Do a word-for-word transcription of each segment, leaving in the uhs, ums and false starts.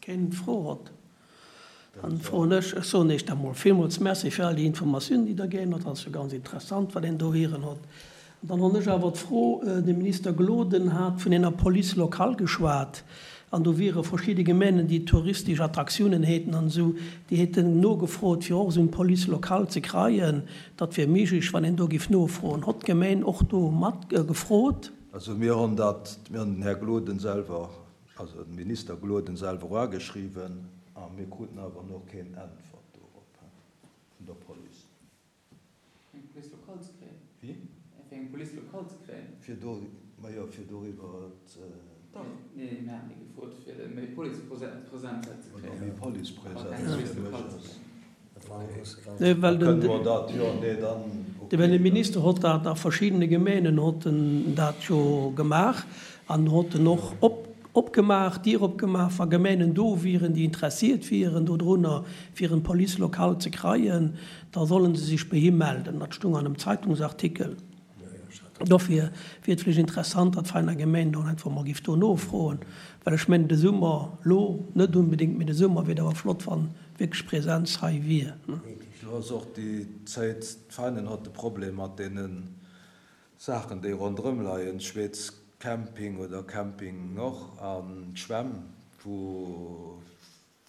Keen d'Fro hott, dann froen ech. Ech soen Iech da mol villmools Merci fir all déi Informatiounen, déi Der ginn hutt. Dat ass jo ganz interessant, wat een do hieren hott. An dann honn ech awer d'Fro, De Minister Gloden hat vun enger Police locale geschwat, an do wiere verschidde Gemeenen, déi touristesch Attraktiounen häten an esou, déi häten nogefrot, fir och esou eng Police locale ze kreien. Dat wier méiglech, wann een do giff nofroen. Hott d'Gemeen och do mat gefrot? Also mir honn dat, mir honn den Här Gloden selwer, also den Minister Gloden selwer uageschriwwen a mir kruten awer nach keen Äntwert dorop vun der Police. Fir eng Police locale ze kréien? Wéi? Fir eng Police locale ze kréien? Fir do, majo, fir doriwwer ze. Dach. Nee, mir haten déi gefrot, fir méi Policepresenz hei ze Oder kréien. méi Policepresenz fir mech ass. Nee, well den. Kënne mer dat, jo, nee, dann, okay. Well de Minister hott dat a verschiddene Gemeenen hott en dat jo gemaach an hott en och op opgemaach, d'Dier opgemaach, wa Gemeenen do wieren, déi interessiert wieren dodrunner, fir en Police locale ze kreien, da sollen se sech bei him melden. Dat stung an em Zeitungsartikel. Dofir wier et vläicht interessant, datt d'Veiner Gemeen do einfach mol giff do nofroen, well ech mengen de Summer, lo net unbedéngt, mee de Summer wier et awer flott, wann wierklech Präsenz hei wier. Do ass och déi Zéit, d'Veinen hott de Problem mat deene Saachen, déi ronderëm leien, Schweetz Camping oder Camping Nord an d'Schwämm, wou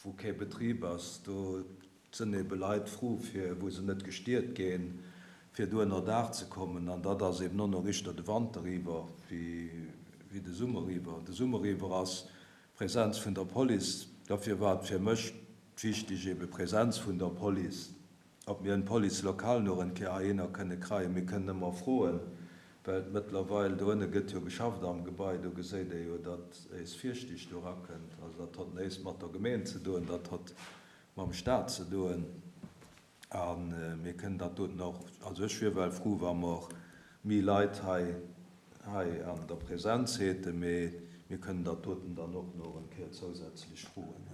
wou kee Betrib ass, do sënn ebe Leit fru fir, wou se net gestiert ginn, fir do ënner Daach ze kommen. An dat ass eben och nach richter de Wanter iwwer wéi de Summer iwwer. De Summer iwwer ass d'Präsenz vun der Police, dofir war et fir mech wichtig ebe Präsenz vun der Police, ob mir en Police locale nach en Kéier heihinner kënne kreien. Mir kënnen ëmmer froen, well mëttlerweil do ënne gëtt jo geschafft am Gebai, do geséit ee jo, datt éis Fiechtig do erakënnt. Also dat hott néist mat der Gemeen ze doen, dat hott mam Staat ze doen. A mir kënnen dat doten och, also ech wier well fru wa mer méi Leit hei hei an der Präsenz häten, mee mir kënnen dat doten dann och nach en Kéier zousätzlech froen.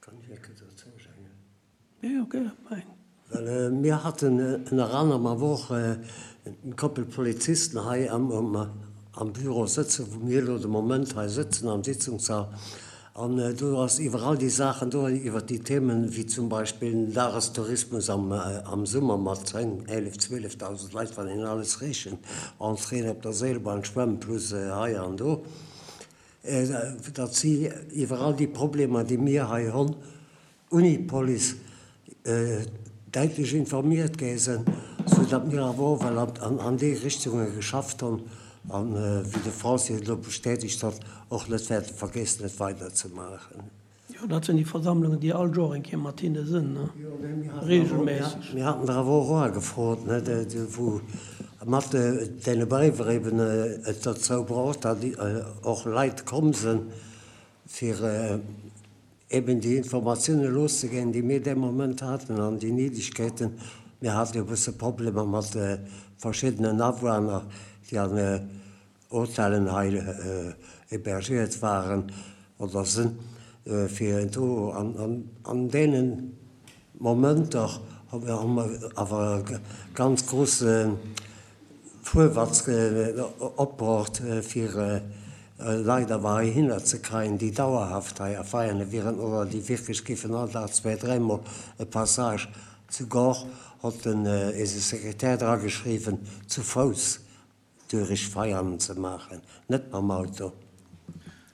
Kann ech eng Kéier dozou schengen? Jo, gär, meng. Well mir hatten ënner anerem awer och eng Koppel Polizisten hei am Büro sëtzen, wou mir elo de Moment hei sëtzen am Sitzungssall. An do ass iwwer all déi Saachen do, iwwer déi Themen, wéi zum Beispill den Dagestourismus am Summer mat zéng, eelef, zwielefdausend Leit, wann een alles rechent, Entréeën op der Seelbahn, Schwämm plus hei an do, datt si iwwer all déi Problemer, déi mir hei hunn, Unipolice däitlech informiert gi sinn, sou datt mir awer och well an déi Richtunge geschafft hunn an, wéi de Français et elo bestätegt huet, och net wäerte vergeessen, et weiderzemaachen. Jo, dat sinn déi Versammlungen, déi all Joer eng Kéier mat hinne sinn, ne? Regelméisseg. Mir haten der awer och agefrot, ne, wou mat deene Bréiwer eben et dozou braucht, datt och Leit komm sinn, fir eben déi Informatioune loszeginn, déi mir dee Moment haten an déi Niddegkeeten. Mir hate jo e bësse Problemer mat verschiddenen Awunner, déi an Hotellen hei hébergiert waren oder sinn, fir do an deene Momenter hu mer awer ganz grousse Fuerwatz opbruecht, fir Leit awer heihinner ze kreien, déi dauerhaft hei a Veianen wieren oder déi wierklech géifen all Dag zwee-, dräimol e Passage zu Gore, hott den eise Sekretär drageschriwwen, zu Fouss durich Veianen ze maachen, net mam Auto.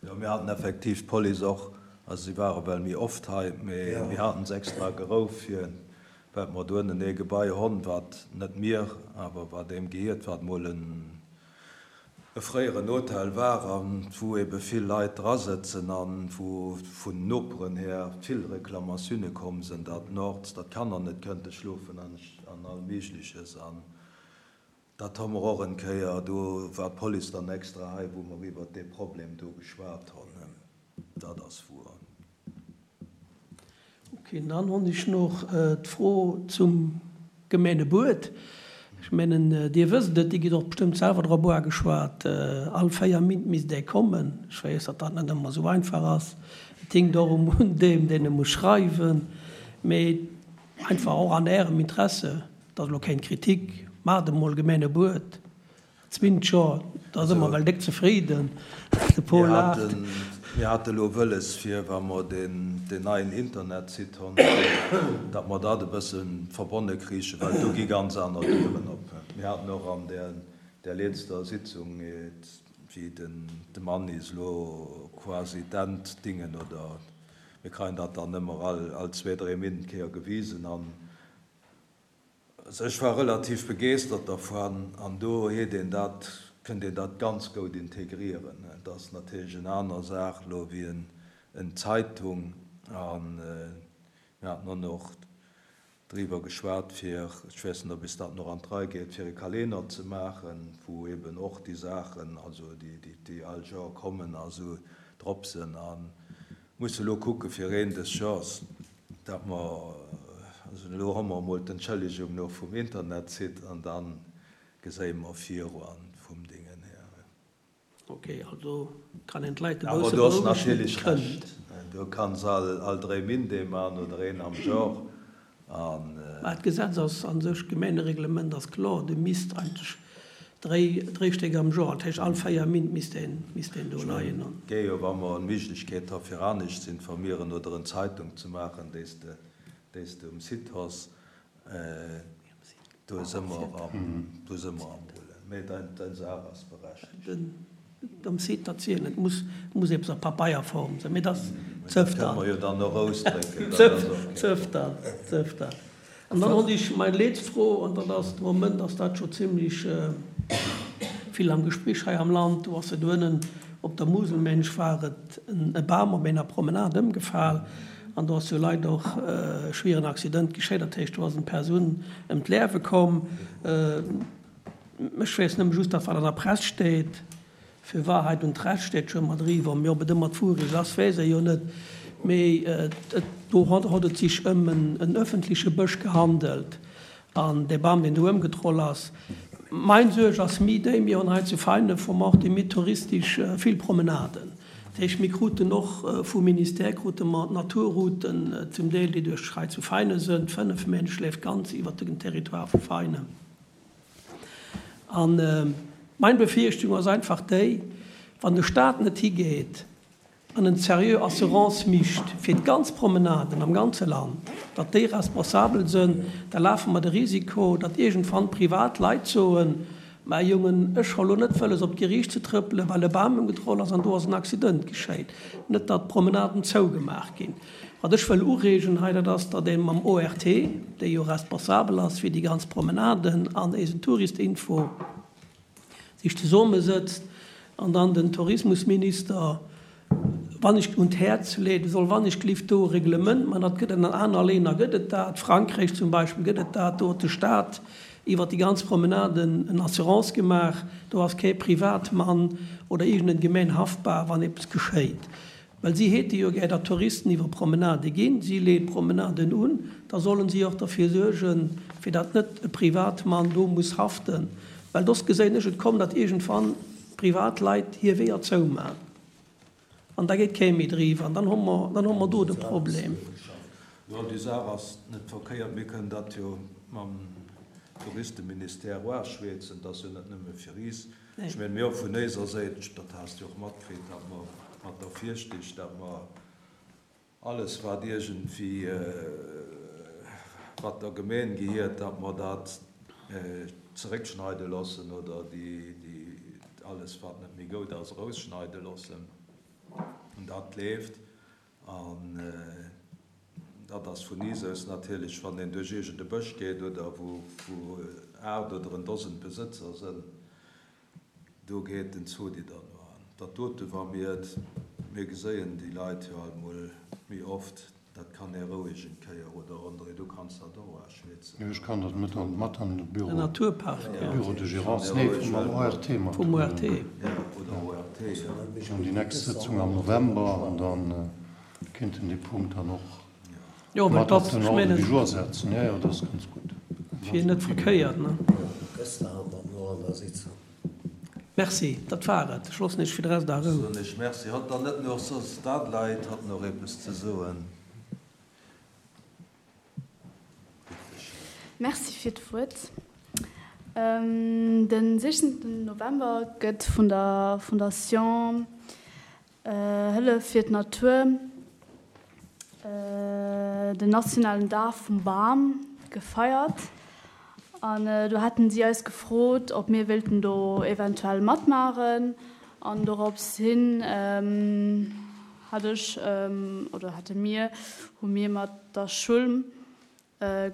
Jo, mir haten effektiv d'Police och, also si ware well méi oft hei, mee mir haten se extra gerouf fir, well mer do ënnen ee Gebai honn, wat net mir, awer wat eem gehiert, wat mol en e fréieren Hotel war a wou ebe vill Leit drasëtzen a wou vun Noperen her vill Reklamatioune komm sinn, datt nords, datt d'Kanner net kënnte schlofen an all Méigleches. An dat hu mer och en Kéier, do war d'Police dann extra hei, wou mer iwwert dee Problem do geschwat hunn. Dat ass wuer. Ok, dann hunn ech nach d'Fro zum Gemeengebuet. Ech mengen, Dir wësst et, Dir gitt och bestëmmt selwer drop uageschwat, all véier Mintt misst ee kommen. Ech weess, datt dat net ëmmer esou einfach ass. Et hinkt och un deem, deen e muss schreiwen. Mee einfach och an Ärem Interesse, et ass elo keng Kritik, maacht emol Gemeengebuet. Zwinnt scho, da si mer well déck zefriden. De Paul Mir laacht. haten Mir hate lo wëlles fir, wa mer deen neien Internetsite hunn, datt mer dat e bësse verbonne kriichen, well do gi ganz aner Dieren op. Mir haten och an där letzter Sitzung, wéi de Mannis lo quasi d'Enddingen oder mir kréien dat dann ëmmer all zwee, dräi Min d'Kéier gewisen an also ech war relativ begeeschtert dervun an do huet een dat, kënnt een dat ganz goud integrieren. Et ass natierlech en aner Saach elo wéi en Zeitung an mir haten och nach driwwer geschwat fir, ech weess net ob is dat nach an d'Rei geet, fir e Kalenner ze maachen, wou eben och déi Saachen, also déi déi all Joer kommen a sou drop sinn a musse elo kucke fir een des Joers, dat mer, also elo hu mer emol d'Entschëllegung no vum Internetsite an da geséie mer viru an vum Dingen her. Ok, also kann een d'Leit e Awer bësse du has berouegen, natierlech et kënnt. Recht, du kanns all all dréi Min dee man oder een am Joer an. Mä d'Gesetz ass a sech, d'Gemeengereglement ass kloer, du misst eigentlech dréi, dréi Stéck am Joer, dat heescht all véier Min misst een, misst een do Ech leien. mengen, et géi jo, wa mer Méiglechkeet ha fir anescht ze informieren oder en Zeitung ze maachen, déi s de, déi s de um Site has, do si mer am, do si mer am Rullen. Mee dein, dein Saach ass berechtigt. Den, um Site dat zielen, et muss, muss eppes a Papeierform sinn, mee dat ass Mee dat zëft kënne dann. mer jo dann och ausdrécken, dat Zëft, ass och kee zëft Problem. dann, zëft dann. An dann hott ech meng letzte Fro, an dat ass, de Moment ass dat scho zimmlech vill am Gespréich hei am Land, do ass et uennen op der Muselmensch war et e Bam op enger Promenade ëmgefal an do ass jo leider och e schwieren Accident geschéit, dat heescht do ass eng Persoun ëm d'Liewe komm. Ech weess nëmme just dat wat an der Press steet, für Wahrheit und Recht steet scho ëmmer driwwer, mee ob et ëmmer d'Wurecht ass, weess ee jo net. Mee et, do hott et sech ëm en öffentliche Bësch gehandelt an dee Bam, deen do ëmgetroll ass. Mein Suerg ass méi déi, mir hunn hei zu Veinen vom Ort méi touristisch vill Promenaden. Dat heescht, mir kruten och vum Ministère krute mer d'Naturrouten zum Deel, déi duerch hei zu Veinen sënn. Fënnef Méint schléift ganz iwwert den Territoire vu Veinen. An mein Befürchtung ass einfach déi, wann de Staat net higeet an en seriö Assurance mischt fir d'ganz Promenaden am ganze Land, datt déi responsabel sënn, da lafe mer de Risiko, datt iergendwann privat Leit soen, Mä Jongen, ech hu lo net wëlles op d'Geriicht ze trëppelen, well e Bam ëmgedroll ass an do ass en Accident geschéit. Net datt d'Promenaden zougemaach ginn. Wat ech wëll ureegen hei, dat ass, datt ee mam O R T, dee jo responsabel ass fir déi ganz Promenaden an eisen Touristinfo, sech zesummesëtzt an dann den Tourismusminister wann ech un d'Häerz leet, soll wann ech glift do e Reglement man, dat gëtt et an aner Länner gëtt et dat, Frankräich zum Beispill gëtt et dat, do huet de Staat iwwert déi ganz Promenaden en Assurance gemaach, do ass kee Privatmann oder iergend en Gemeng haftbar, wann eppes geschéit. Well si hate jo gär, datt Touristen iwwer Promenade ginn, si leeën d'Promenaden un, da sollen si och derfir suergen, fir datt net e Privatmann do muss haften, well soss geséin ech et kommen, datt iergendwann Privatleit hir Weeër zouman an da geet kee méi driwwer an dann hu mer, dann hu mer do de Problem. Jo, déi Saach ass net verkéiert. Mir kënnen dat jo mam Touristeministère oaschwätzen. Dat ass jo net nëmme fir is. Ech mengen, mir hu vun éiser Säit, dat has de och matkritt, datt mer mat der Virstich, datt mer alles, wat iergendwéi, wat der Gemeen gehiert, datt mer dat zeréckschneide loossen oder déi, alles, wat net méi goud ass, erausschneide loossen. An dat leeft. An dat ass vun is aus natierlech, wann een duerch iergend e Bësch geet oder wou aacht oder en Dosent Besëtzer sënn, do geet den Zodi dann no an. Dat dote wa mir et, mir geséien déi Leit jo alt mol méi oft, dat kann ee roueg eng Kéier, oder André, du kanns dat och aschwätzen. Jo, ech kann dat mat an, mat an de Bureau. Den Naturpark, jo. Bureau de gérance, nee, vum O R T mat. Vum O R T. Jo, oder O R T, jo. Mir hunn déi nächst Sëtzung am November an da kéinten dee Punkt dann och Jo, well mat op dat, den ech Ordre mengen. du jour setzen. Jo, jo, dat ass ganz gutt. Wier net verkéiert, ne? Gëster hat mer no an der Sitzung. Merci, dat war et. Ech loossen Iech fir de Rest a Rou. Soen ech Merci. Hat dann net nach soss Stadleit, hat nach eppes ze soen? Bitte schön. Merci fir d'Wuert. Den sichzéngten November gëtt vun der Fondation Hëllef fir d'Natur den nationalen Dag vum Bam gefeiert an do haten si eis gefrot, ob mir wéilten do eventuell matmaachen an dorops hin hat ech oder hate mir, hu mir mat der Schoul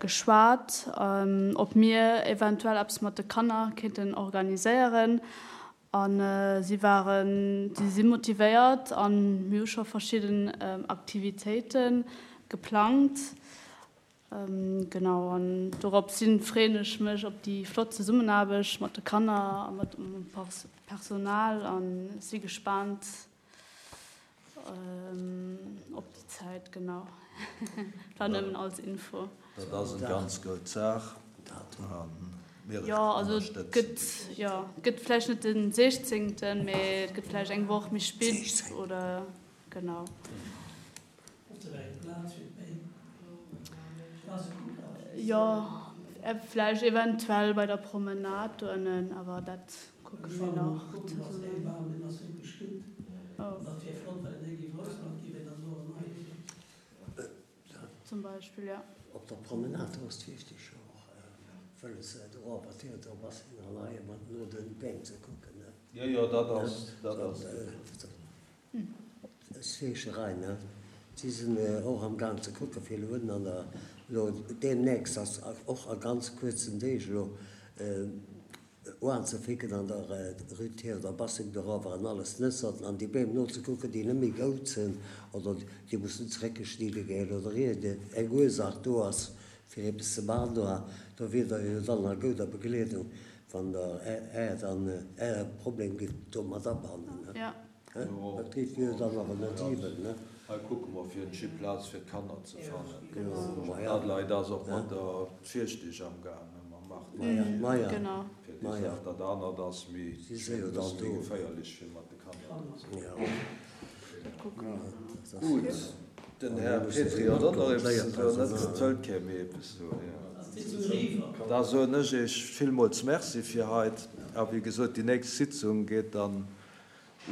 geschwat, ob mir eventuell eppes mat de Kanner kéinten organiséieren a si waren, si si motivéiert an mir hu scho verschidden Aktivitéite geplangt. Genau, an dorops hin freeën ech mech op déi flott Zesummenaarbecht mat de Kanner a mat dem Personal a si gespaant op déi Zäit. Genau, dat war nëmmen als Info. Dat ass eng ganz goud Saach a mir Jo, also et gëtt, jo, et gëtt vläicht net den sechzéngten, mee et gëtt vläicht eng Woch méi spit oder genau. Jo, vläicht eventuell bei der Promenade do ënnen, awer dat kucke mir nach zesummen. Zum Beispill, jo. Op der Promenade do ass d'Wichtig jo och wëlles do awer Theodor bass hin an hei mat no den Beem ze kucken, ne? Jo, jo, dat ass, dat ass. D'Feescherei, ne? Si sinn och am Gaang ze kucken, fir elo ënnen an der, elo deemnächst, ass och a ganz kuerzen Deeg elo, oanzeficken an der Rue Théodore Bassing dorower an alles d'Nësserten an déi Beem nozekucken, déi net méi goud sinn oder déi mussen zeréckgeschnidde ginn oder iergend eng Ursach do ass, fir eppes ze maachen do. Do wier Der jo dann a gouder Begleedung, wann Der Är dann Äre Problem gitt do mat abannen. Dat geet jo dann awer net iwwel, ne? Hei kucke mer fir en Skiplaz fir d'Kanner ze fannen. D'Adelheid ass och mat der Virschtig am gaangen, mam Martin, fir déi Saach. Dat anert ass méi, e bësse méi geféierlech fir mat de Kanner do ze sinn. Gutt, den Här Petry huet och nach eppes ze soen, net? Et wëllt kee méi eppes soen? Da soen ech Iech villmools Merci fir haut. A wéi gesot, déi nächst Sitzung geet dann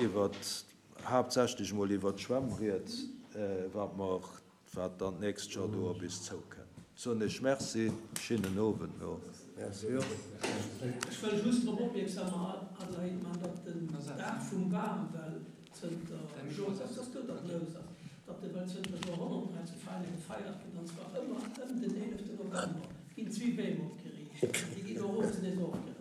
iwwert, haaptsächlech emol iwwert d'Schwämm rieds, wat mer, wat dann d'nächst Joer do op is zoukënnt. Soen Iech Merci, schéinen Owend no. Ech wëll just drop opmierksam Adelheid man, datt den Dag vum Bam well zënter Joer, dass do dat lous ass, datt e well zënter Joerhonnerten hei zu Veinen gefeiert gëtt, an zwar ëmmer ëm den eeleften November ginn zwee Beem opgeriicht, déi ginn och owes nees ofgerappt.